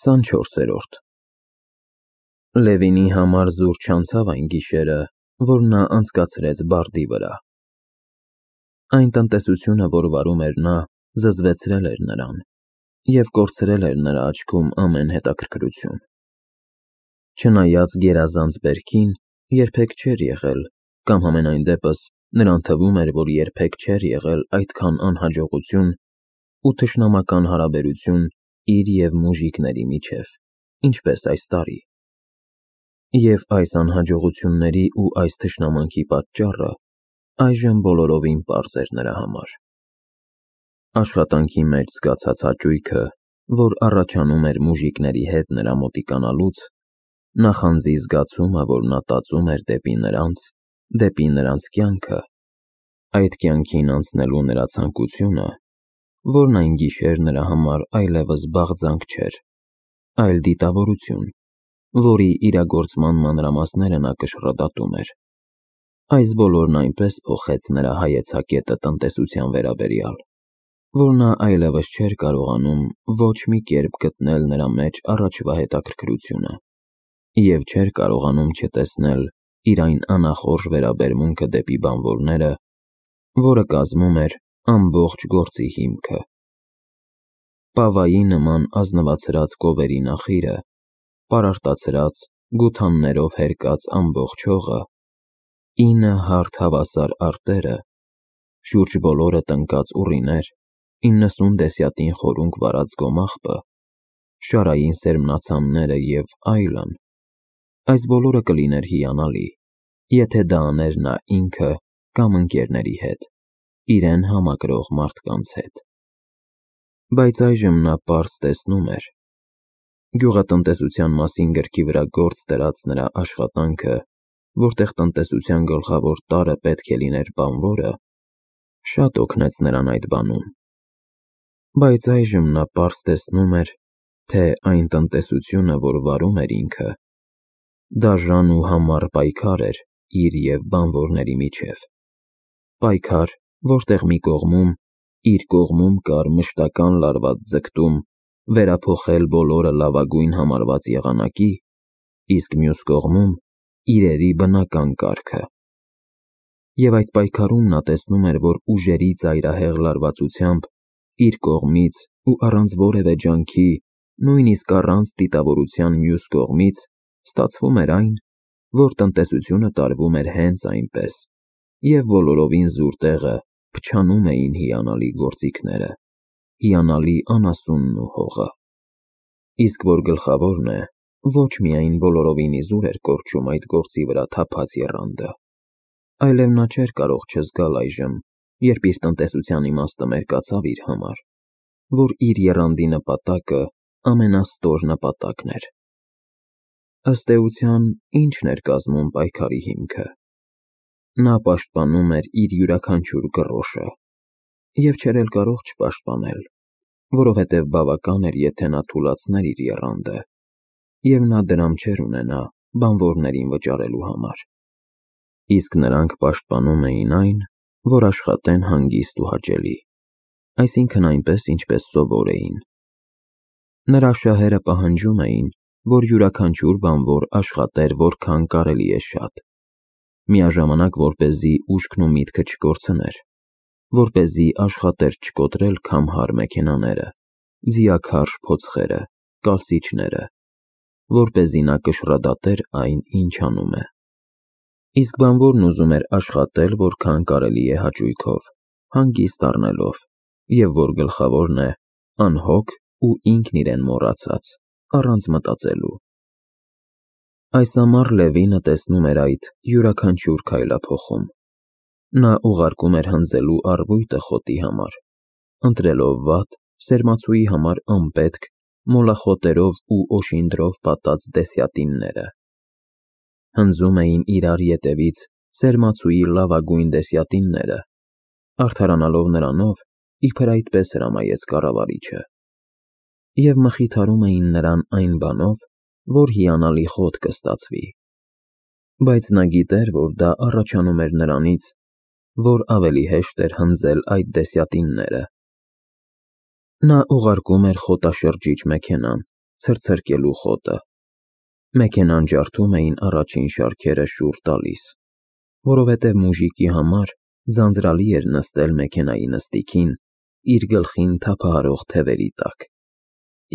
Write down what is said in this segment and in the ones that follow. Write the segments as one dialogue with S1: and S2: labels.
S1: 24-րդ Լևինի համար զուր չանցավ այն գիշերը, որ նա անցկացրեց բարդի վրա։ Այն տնտեսությունը, որ վարում էր նա, զզվեցրել էր նրան և կորցրել էր նրա աչքում ամեն հետաքրքրություն։ Չնայած գերազանց բերքին, երբեք չէր եղել, կամ համենայն դեպս նրան թվում էր, որ երբեք չէր եղել այդքան անհաջողություն ու թշնամական հարաբերություն իր և մուժիկների միջև, ինչպես այս տարի։ Եվ այս անհաջողությունների ու այս թշնամանքի պատճառը այժմ բոլորովին պարզ էր նրա համար։ Աշխատանքի մեջ զգացած հաճույքը, որ առաջանում էր մուժիկների հետ նրա մոտիկանալուց, նախանձի զգացումը, որ նա տածում էր դեպի նրանց կյանքը, այդ կյանքին անցնելու նրա ցանկությունը, որն այն գիշեր նրա համար այլևս բաղձանք չէր, այլ դիտավորություն, որի իրագործման մանրամասները նա կշռադատում էր։ Այս բոլորն այնպես փոխեց նրա հայեցակետը տնտեսության վերաբերյալ, որ նա այլևս չէր կարողանում ոչ մի կերպ գտնել նրա մեջ առաջվա հետաքրքրությունը և չէր կարողանում չտեսնել իր այն անախորժ վերաբերմունքը դեպի բանվորները, որը կազմում էր ամբողջ գործի հիմքը։ Պավայի նման ազնվացրած կովերի նախիրը, պարարտացրած, գութաններով հերկած ամբողջ հողը, 9 հարթ հավասար արտերը, շուրջ բոլորը տնկած ուռիներ, 90 դեսյատին խորունկ վարած գոմաղբը, շարային սերմնացամները և այլն, այս բոլորը կլիներ հիանալի, եթե դա աներ նա ինքը կամ ընկերների հետ, իրեն համակրող մարդկանց հետ։ Բայց այժմ նա պարզ տեսնում էր. գյուղատնտեսության մասին գրքի վրա գործ դրած նրա աշխատանքը, որտեղ տնտեսության գլխավոր տարրը պետք է լիներ բանվորը, շատ օգնեց նրան այդ բանում։ Բայց այժմ նա պարզ տեսնում էր, թե այն տնտեսությունը, որ վարում էր ինքը, դաժան ու համառ պայքար էր իր և բանվորների միջև։ Պայքար, որտեղ մի կողմում, իր կողմում կար մշտական լարված ձգտում վերափոխել բոլորը լավագույն համարված եղանակի, իսկ մյուս կողմում իրերի բնական կարգը։ Եվ այդ պայքարում նա տեսնում էր, որ ուժերի ծայրահեղ լարվածությամբ, իր կողմից ու առանց որևէ ջանքի, նույնիսկ առանց դիտավորության մյուս կողմից, ստացվում էր այն, որ տնտեսությունը տարվում էր հենց այնպես, և բոլորովին զուր տեղը փչանում էին հիանալի գործիքները, հիանալի անասունն ու հողը։ Իսկ որ գլխավորն է, ոչ միայն բոլորովին իզուր էր կորչում այդ գործի վրա թափած եռանդը, այլև նա չէր կարող չզգալ այժմ, երբ իր տնտեսության իմաստը մերկացավ իր համար, որ իր եռանդի նպատակը ամենաստոր նպատակն էր։ Ըստ էության, ի՞նչն էր կազմում պայքարի հիմքը։ Նա պաշտպանում էր իր յուրաքանչյուր գրոշը և չէր էլ կարող չպաշտպանել, որովհետև բավական էր, եթե նա թուլացներ իր եռանդը, և նա դրամ չէր ունենա բանվորներին վճարելու համար։ Իսկ նրանք պաշտպանում էին այն, որ աշխատեն հանգիստ ու հաճելի, այսինքն այնպես, ինչպես սովոր էին։ Նրա շահերը պահանջում էին, որ յուրաքանչյուր բանվոր աշխատեր որքան կարելի է շատ, միաժամանակ որպեսզի ուշքն ու միտքը չկորցներ, որպեսզի աշխատեր չկոտրել քամհար մեքենաները, ձիաքարշ փոცხերը, կալսիչները, որպեսզի նա կշռադատեր այն, ինչ անում է։ Իսկ բանվորն ուզում էր աշխատել որքան կարելի է հաճույքով, հանգիստ առնելով, և որ գլխավորն է, անհոգ ու ինքն իրեն մոռացած, առանց մտածելու։ Այս ամառ Լևինը տեսնում էր այդ յուրաքանչյուր քայլափոխում։ Նա ուղարկում էր հնձելու առվույտը խոտի համար, ընտրելով վատ, սերմացուի համար անպետք, մոլախոտերով ու օշինդրով պատած դեսյատինները։ Հնձում էին իրար ետևից սերմացուի լավագույն դեսյատինները, արդարանալով նրանով, իբր այդպես հրամայեց կառավարիչը, և մխիթարում էին նրան այն բանով, որ հիանալի խոտ կստացվի։ Բայց նա գիտեր, որ դա առաջանում էր նրանից, որ ավելի հեշտ էր հնձել այդ դեսյատինները։ Նա ուղարկում էր խոտաշրջիչ մեքենան, ցրցրկելու խոտը։ Մեքենան ջարդում էին առաջին շարքերը շուռ տալիս, որովհետև մուժիկի համար ձանձրալի էր նստել մեքենայի նստիքին իր գլխին թափահարող թևերի տակ,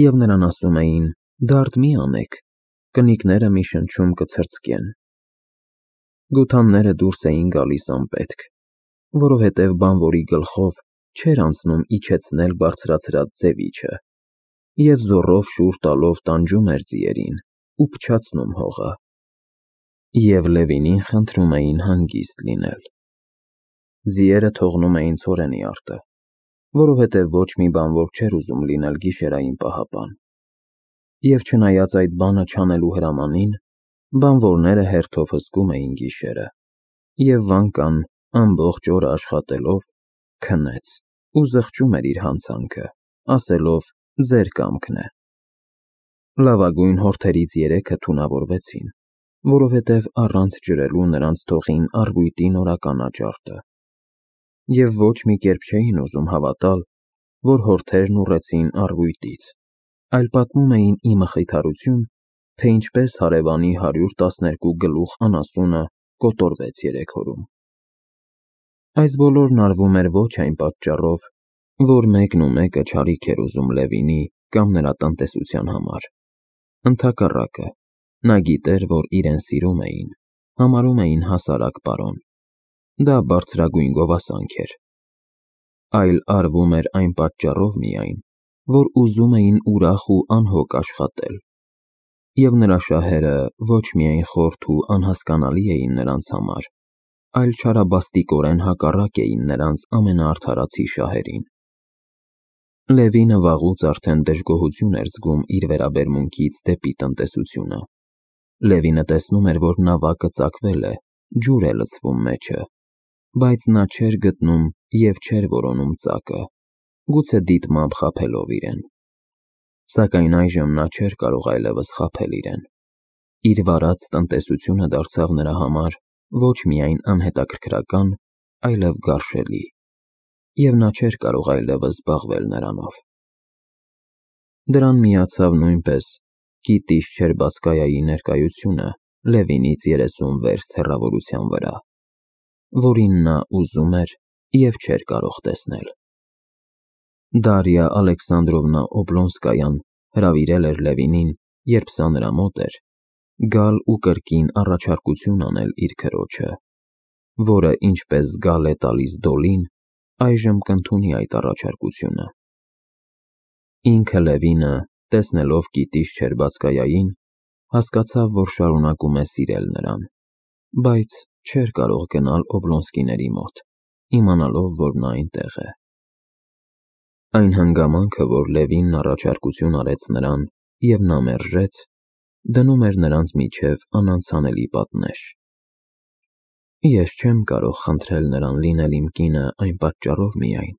S1: և նրան ասում էին. «Դարդ մի անեք, կնիկները մի շնչում կցրծկեն»։ Գութանները դուրս էին գալիս անպետք, որովհետև բանվորի գլխով չէր անցնում իջեցնել բարձրացրած ձևիչը, և զոռով շուռ տալով տանջում էր ձիերին ու փչացնում հողը։ Եվ Լևինին խնդրում էին հանգիստ լինել։ Ձիերը թողնում էին ցորենի արտը, որովհետև ոչ մի բանվոր չէր ուզում լինել գիշերային պահապան։ Եվ չնայած այդ բանը չանելու հրամանին, բանվորները հերթով հսկում էին գիշերը, և Վանկան ամբողջ օրը աշխատելով քնեց ու զղջում էր իր հանցանքը, ասելով. «Ձեր կամքն է»։ Լավագույն հորթերից 3-ը թունավորվեցին, որովհետև առանց ջրելու նրանց թոխին առվույտի նորական աճարդը, և ոչ մի կերպ չէին ուզում հավատալ, որ հորթերն ուռեցին առվույտից, այլ պատմում էին ի մխիթարություն, թե ինչպես հարևանի 112 գլուխ անասունը կոտորվեց 3 օրում։ Այս բոլորն արվում էր ոչ այն պատճառով, որ մեկն ու մեկը չարիք էր ուզում Լևինի կամ նրա տնտեսության համար։ Ընդհակառակը, նա գիտեր, որ իրեն սիրում էին, համարում էին հասարակ պարոն։ Դա բարձրագույն գովասանք էր։ Այլ արվում էր այն պատճառով միայն, որ ուզում էին ուրախ ու անհոգ աշխատել, և նրա շահերը ոչ միայն խորթ ու անհասկանալի էին նրանց համար, այլ չարաբաստիկորեն հակառակ էին նրանց ամենաարդարացի շահերին։ Լևինը վաղուց արդեն դժգոհություն էր զգում իր վերաբերմունքից դեպի տնտեսությունը։ Լևինը տեսնում էր, որ նավակը ծակվել է, ջուր է լցվում մեջը, բայց նա չէր գտնում և չէր որոնում ծակը, գուցե դիտմամբ խաբելով իրեն։ Սակայն այժմ նա չէր կարող այլևս խաբել իրեն։ Իր վարած տնտեսությունը դարձավ նրա համար ոչ միայն անհետաքրքրական, այլև գարշելի, և նա չէր կարող այլևս զբաղվել նրանով։ Դրան միացավ նույնպես Կիտի Շչերբասկայայի ներկայությունը Լևինից 30 վերստ հեռավորության վրա, որին նա ուզում էր և չէր կարող տեսնել։ Դարիա Ալեքսանդրովնա Օբլոնսկայան հրավիրել էր Լևինին, երբ սա նրա մոտ էր, գալ ու կրկին առաջարկություն անել իր քրոջը, որը, ինչպես զգալ է տալիս Դոլին, այժմ կընդունի այդ առաջարկությունը։ Ինքը Լևինը, տեսնելով Կիտի Շչերբասկայային, հասկացավ, որ շարունակում է սիրել նրան, բայց չէր կարող գնալ Օբլոնսկիների մոտ, իմանալով, որ նա այնտեղ է։ Այն հանգամանքը, որ Լևինն առաջարկություն արեց նրան, և նա մերժեց, դնում էր նրանց միջև անանցանելի պատնեշ։ Ես չեմ կարող խնդրել նրան լինել իմ կինը այն պատճառով միայն,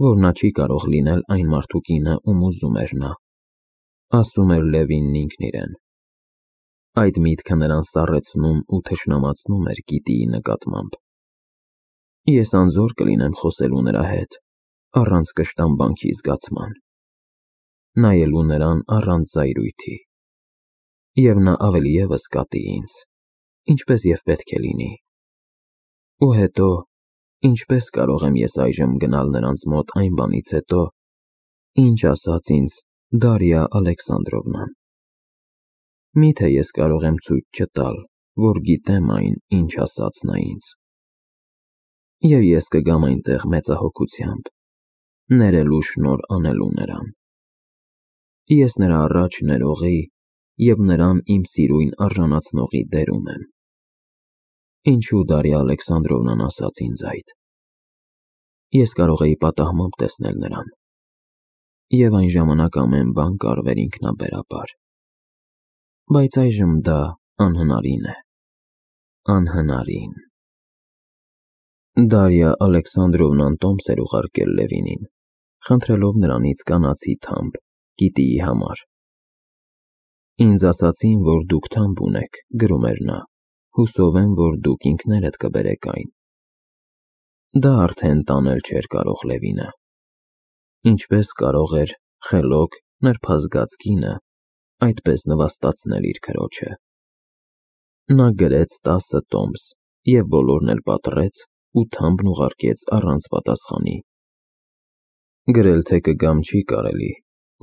S1: որ նա չի կարող լինել այն մարդու կինը, ում ուզում էր նա, ասում էր Լևինն ինքն իրեն։ Այդ միտքը նրան սառեցնում ու թշնամացնում էր Կիտիի նկատմամբ։ Ես անզոր կլինեմ խոսելու նրա հետ, առանց կշտամբանքի զգացման, նայելու նրան առանց զայրույթի, և նա ավելի ևս կատի ինձ, ինչպես և պետք է լինի։ Ու հետո, ինչպես կարող եմ ես այժմ գնալ նրանց մոտ այն բանից հետո, ինչ ասաց ինձ Դարիա Ալեքսանդրովնան։ Միթե ես կարող եմ ցույց չտալ, որ գիտեմ այն, ինչ ասաց նա ինձ։ Եվ ես կգամ այնտեղ մեծահոգությամբ, ներելու շնորհ անելու նրան։ Ես նրա առաջ ներողի և նրան իմ սիրույն արժանացնողի դերում եմ։ Ինչու Դարիա Ալեքսանդրովնան ասաց ինձ այդ։ Ես կարող էի պատահմամբ տեսնել նրան, և այն ժամանակ ամեն բան կարվեր ինքնաբերաբար, բայց այժմ դա անհնարին է, անհնարին։ Դարիա Ալեքսանդրովնան տոմս էր ուղարկել Լևինին, խնդրելով նրանից կանացի թամբ Կիտիի համար։ Ինձ ասացին, որ դուք թամբ ունեք, գրում էր նա, հուսով եմ, որ դուք ինքներդ կբերեք այն։ Դա արդեն տանել չէր կարող Լևինը։ Ինչպես կարող էր խելոք նրբազգաց կինը այդպես նվաստացնել իր քրոջը։ Նա գրեց 10 տոմս և բոլորն էլ պատռեց ու թամբն ուղարկեց առանց պատասխանի։ Գրել թե կգամ չի կարելի,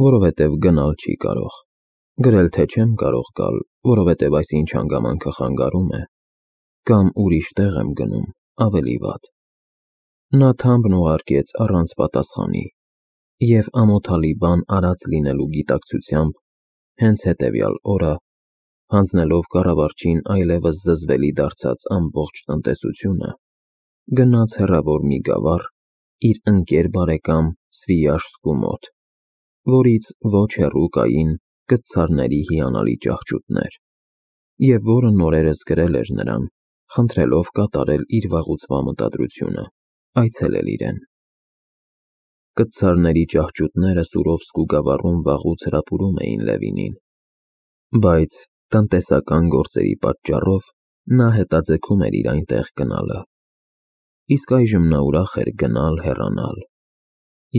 S1: որովհետև գնալ չի կարող, գրել թե չեմ կարող գալ, որովհետև այսինչ հանգամանքը խանգարում է, կամ ուրիշ տեղ եմ գնում, ավելի վատ։ Նա թամբն ուղարկեց առանց պատասխանի և ամոթալի բան արած լինելու գիտակցությամբ հենց հետևյալ օրը, հանձնելով կառավարչին այլևս զզվելի դարձած ամբողջ տնտեսությունը, գնաց հեռավոր մի գավառ իր ընկեր բարեկամ Սվիյաշսկու մոտ, որից ոչ հեռու կային կտցարների հիանալի ճահճուտներ, և որը նորերս գրել էր նրան, խնդրելով կատարել իր վաղուցվա մտադրությունը, այցելել իրեն։ Կտցարների ճահճուտները Սուրովսկու գավառում վաղուց հրապուրում էին Լևինին, բայց տնտեսական գործերի պատճառով նա հետաձգում էր իր այնտեղ գնալը, իսկ այժմ նա ուրախ էր գնալ հեռանալ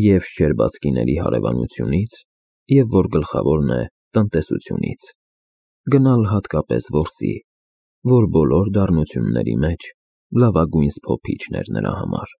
S1: և Շչերբացկիների հարևանությունից, և որ գլխավորն է, տնտեսությունից, գնալ հատկապես որսի, որ բոլոր դառնությունների մեջ լավագույն սփոփիչն էր նրա համար։